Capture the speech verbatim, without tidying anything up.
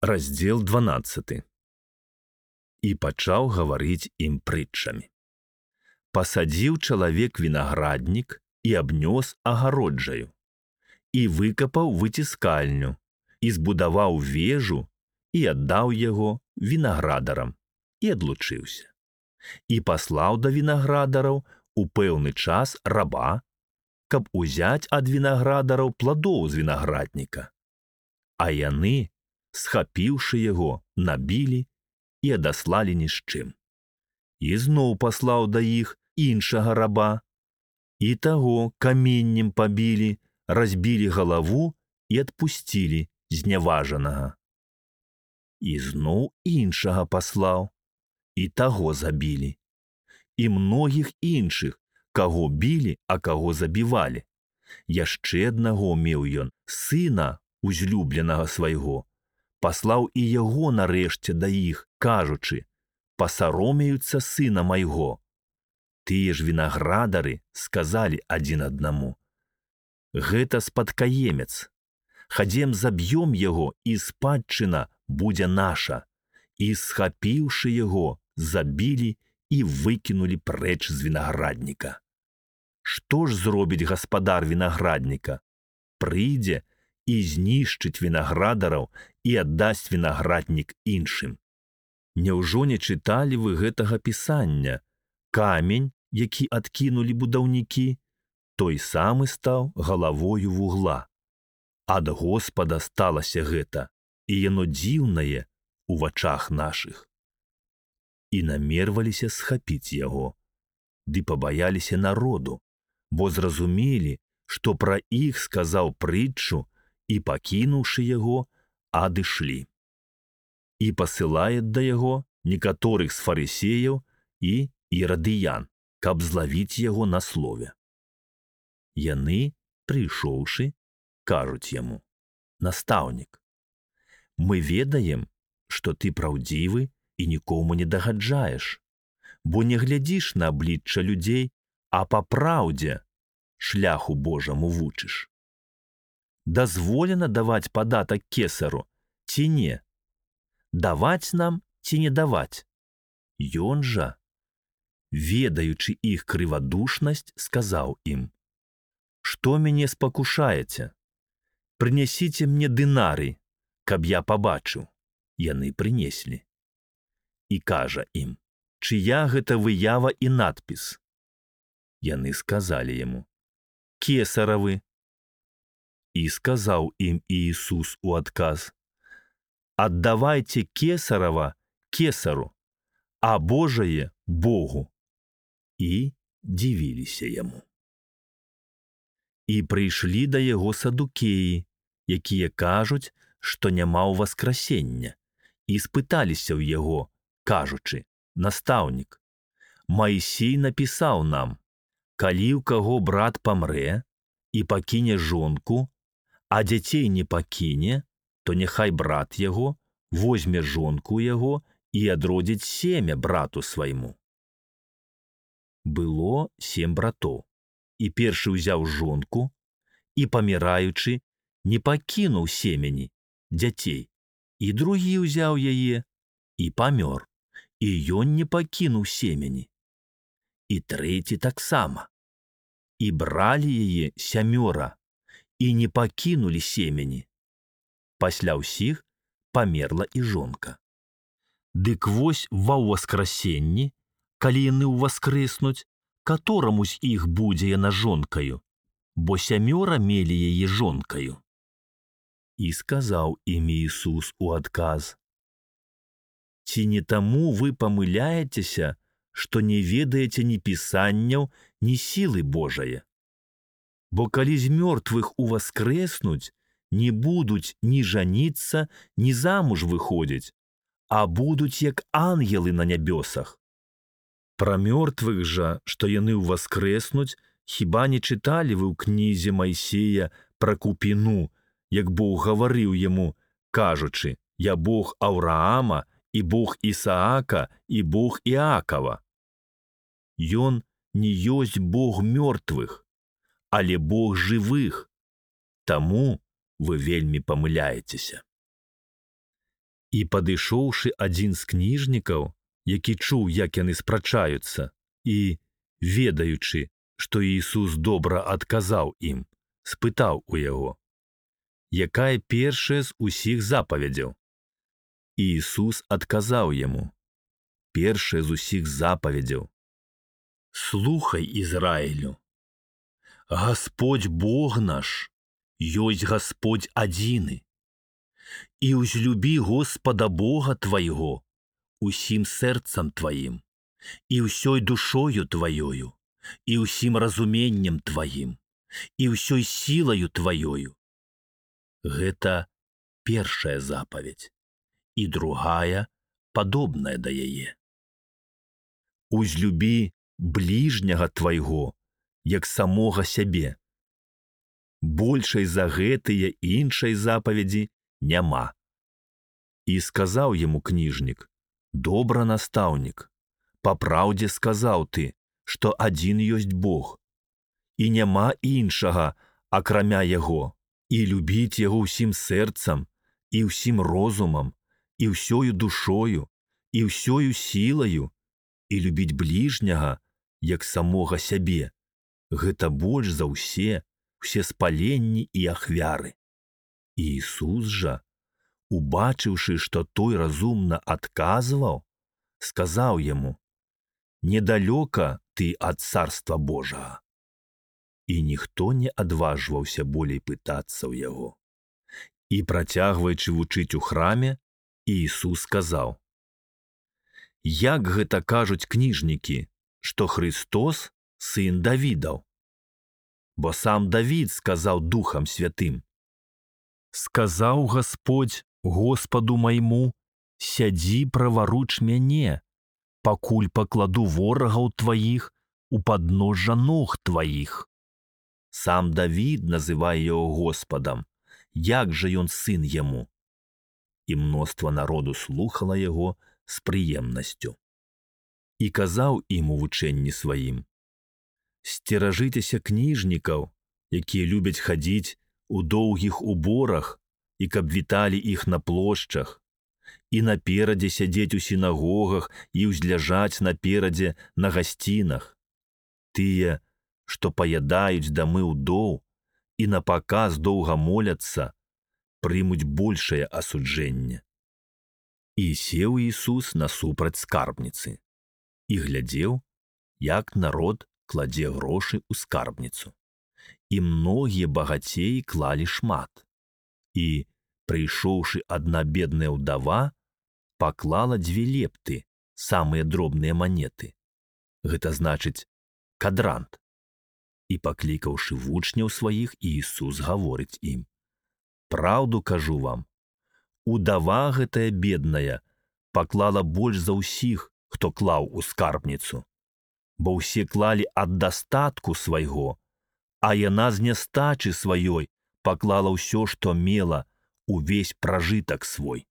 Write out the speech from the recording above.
Раздзел дванаццаты. І пачаў гаварыць ім прытчамі. Пасадзіў чалавек вінаграднік і абнёс агароджаю, і выкапаў выціскальню, і збудаваў вежу, і аддаў яго вінаградарам, і адлучыўся. І паслаў да вінаградараў у пэўны час раба, каб узяць ад вінаградараў пладоў з вінаградніка. А яны, схапіўшы яго, набілі і адаслалі ні з чым. І зноў паслаў да іх іншага раба, і таго каменнем пабілі, разбілі галаву і адпусцілі зняважанага. І зноў іншага паслаў, і таго забілі. І многіх іншых, каго білі, а каго забівалі. Яшчэ аднаго меў ён, сына узлюбленага свайго, паслаў і яго нарэшце да іх, кажучы: «Пасаромеюцца сына майго». Тыя ж вінаградары сказалі адзін аднаму: «Гэта спадкаемец. Хадзем заб'ём яго, і спадчына будзе наша». І, схапіўшы яго, забілі і выкінулі прэч з вінаградніка. Што ж зробіць гаспадар вінаградніка? Прыйдзе і знішчыць вінаградараў і аддасць вінаграднік іншым. Няўжо не чыталі вы гэтага пісання? Камень, які адкінулі будаўнікі, той самы стаў галавою вугла. Ад Господа сталася гэта, і яно дзіўнае у вачах нашых. І намерваліся схапіць яго, ды пабаяліся народу, бо зразумелі, што пра іх сказаў прытчу, і, пакінуўшы яго, адышлі. І пасылае да яго некаторых з фарысеяў і ірадыян, каб злавіць яго на слове. Яны, прыйшоўшы, кажуць яму: «Настаўнік, мы ведаем, што ты праўдзівы і нікому не дагаджаеш, бо не глядзіш на аблічча людзей, а па праўдзе шляху Божаму вучыш. Дазволена даваць падатак кесару ці не? Даваць нам ці не даваць?» Ён жа, ведаючы іх крывадушнасць, сказаў ім: «Што мяне спакушаеце? Прынясіце мне дынарый, каб я пабачыў». Яны прынеслі. І кажа ім: «Чыя гэта выява і надпіс?» Яны сказалі яму: «Кесаравы». І сказаў ім Іісус у адказ: «Аддавайце кесарава кесару, а Божае Богу». І дзівіліся яму. І прыйшлі да яго садукеі, якія кажуць, што няма ўваскрасення, і спыталіся ў яго, кажучы: «Настаўнік, Маісей напісаў нам: калі ў каго брат памрэ і пакіне жонку, а дзяцей не пакіне, то няхай брат яго возьме жонку яго і адродзіць семя брату свайму. Было сем братоў, і першы ўзяў жонку, і, паміраючы, не пакінуў семені, дзяцей, і другі ўзяў яе, і памёр, і ён не пакінуў семені. І трэці таксама. І бралі яе сямёра, і не пакінулі семені. Пасля ўсіх памерла і жонка. Дык вось ва ўваскрасенні, калі яны ўваскрэснуць, катораму з іх будзе яна жонкаю, бо сямёра мелі яе жонкаю. І сказаў ім Іісус у адказ: «Ці не таму вы памыляецеся, што не ведаеце ні пісанняў, ні сілы Божае? Бо калі з мёртвых уваскрэснуць, не будуць ні жаніцца, ні замуж выходзіць, а будуць як ангелы на нябёсах. Пра мёртвых жа, што яны ўваскрэснуць, хіба не чыталі вы ў кнізе Майсея пра купіну, як Бог гаварыў яму, кажучы: «Я Бог Аўраама, і Бог Ісаака, і Бог Іакава». Ён не ёсць Бог мёртвых, але Бог жывых. Таму вы вельмі памыляецеся. І падышоўшы адзін з кніжнікаў, які чуў, як яны спрачаюцца, і, ведаючы, што Ісус добра адказаў ім, спытаў у яго: «Якая першая з усіх запавядзяў?» І Ісус адказаў яму: «Першая з усіх запавядзяў: слухай, Ізраілю, Гасподзь Бог наш ёсць Гасподзь адзіны, і ўзлюбі Господа Бога твайго усім сэрцам тваім, і ўсёй душою тваёю, і ўсім разуменнем тваім, і ўсёй сілаю тваёю». Гэта першая запаведь, і другая падобная да яе: «Узлюбі бліжняга твайго, як самога сябе». Большай за гэтыя іншай запаведзі няма. І сказаў яму кніжнік: «Добра, настаўнік, па праўдзе сказаў ты, што адзін ёсць Бог, і няма іншага, акрамя яго, і любіць яго ўсім сэрцам, і ўсім розумам, і ўсёю душою, і ўсёю сілаю, і любіць бліжняга, як самога сябе. Гэта больш за ўсе, усе спаленні і ахвяры». І Ісус жа, убачыўшы, што той разумна адказваў, сказаў яму: «Недалёка ты ад Царства Божага». І ніхто не адважваўся болей пытацца ў яго. І, працягваючы вучыць у храме, Ісус сказаў: «Як гэта кажуць кніжнікі, што Христос сын Давідаў? Бо сам Давід сказаў Духам Святым: сказаў Гасподзь Господу майму: сядзі праваруч мяне, пакуль пакладу ворагаў тваіх у падножжа ног тваіх. Сам Давід называе яго Господам, як жа ён сын яму?» І мноства народу слухала яго з прыемнасцю. І казаў ім у вучэнні сваім: «Сцеражыцеся кніжнікаў, якія любяць хадзіць у доўгіх уборах, і каб віталі іх на плошчах, і наперадзе сядзець у сінагогах і ўзляжаць наперадзе на гасцінах. Тыя, што паядаюць дамы ўдоў і напаказ доўга моляцца, прымуць большае асуджэнне». І сеў Ісус насупраць скарбніцы і глядзеў, як народ кладзе грошы ў скарбніцу. І многія багацеі клалі шмат. І, прыйшоўшы адна бедная ўдава, паклала дзве лепты, самыя дробныя манеты. Гэта значыць кадрант. І, паклікаўшы вучняў сваіх, Ісус гаворыць ім: «Праўду кажу вам, удава гэтая бедная паклала больш за ўсіх, хто клаў у скарбніцу, бо ўсе клалі ад дастатку свайго, а яна з нястачы сваёй паклала ўсё, што мела, увесь пражытак свой».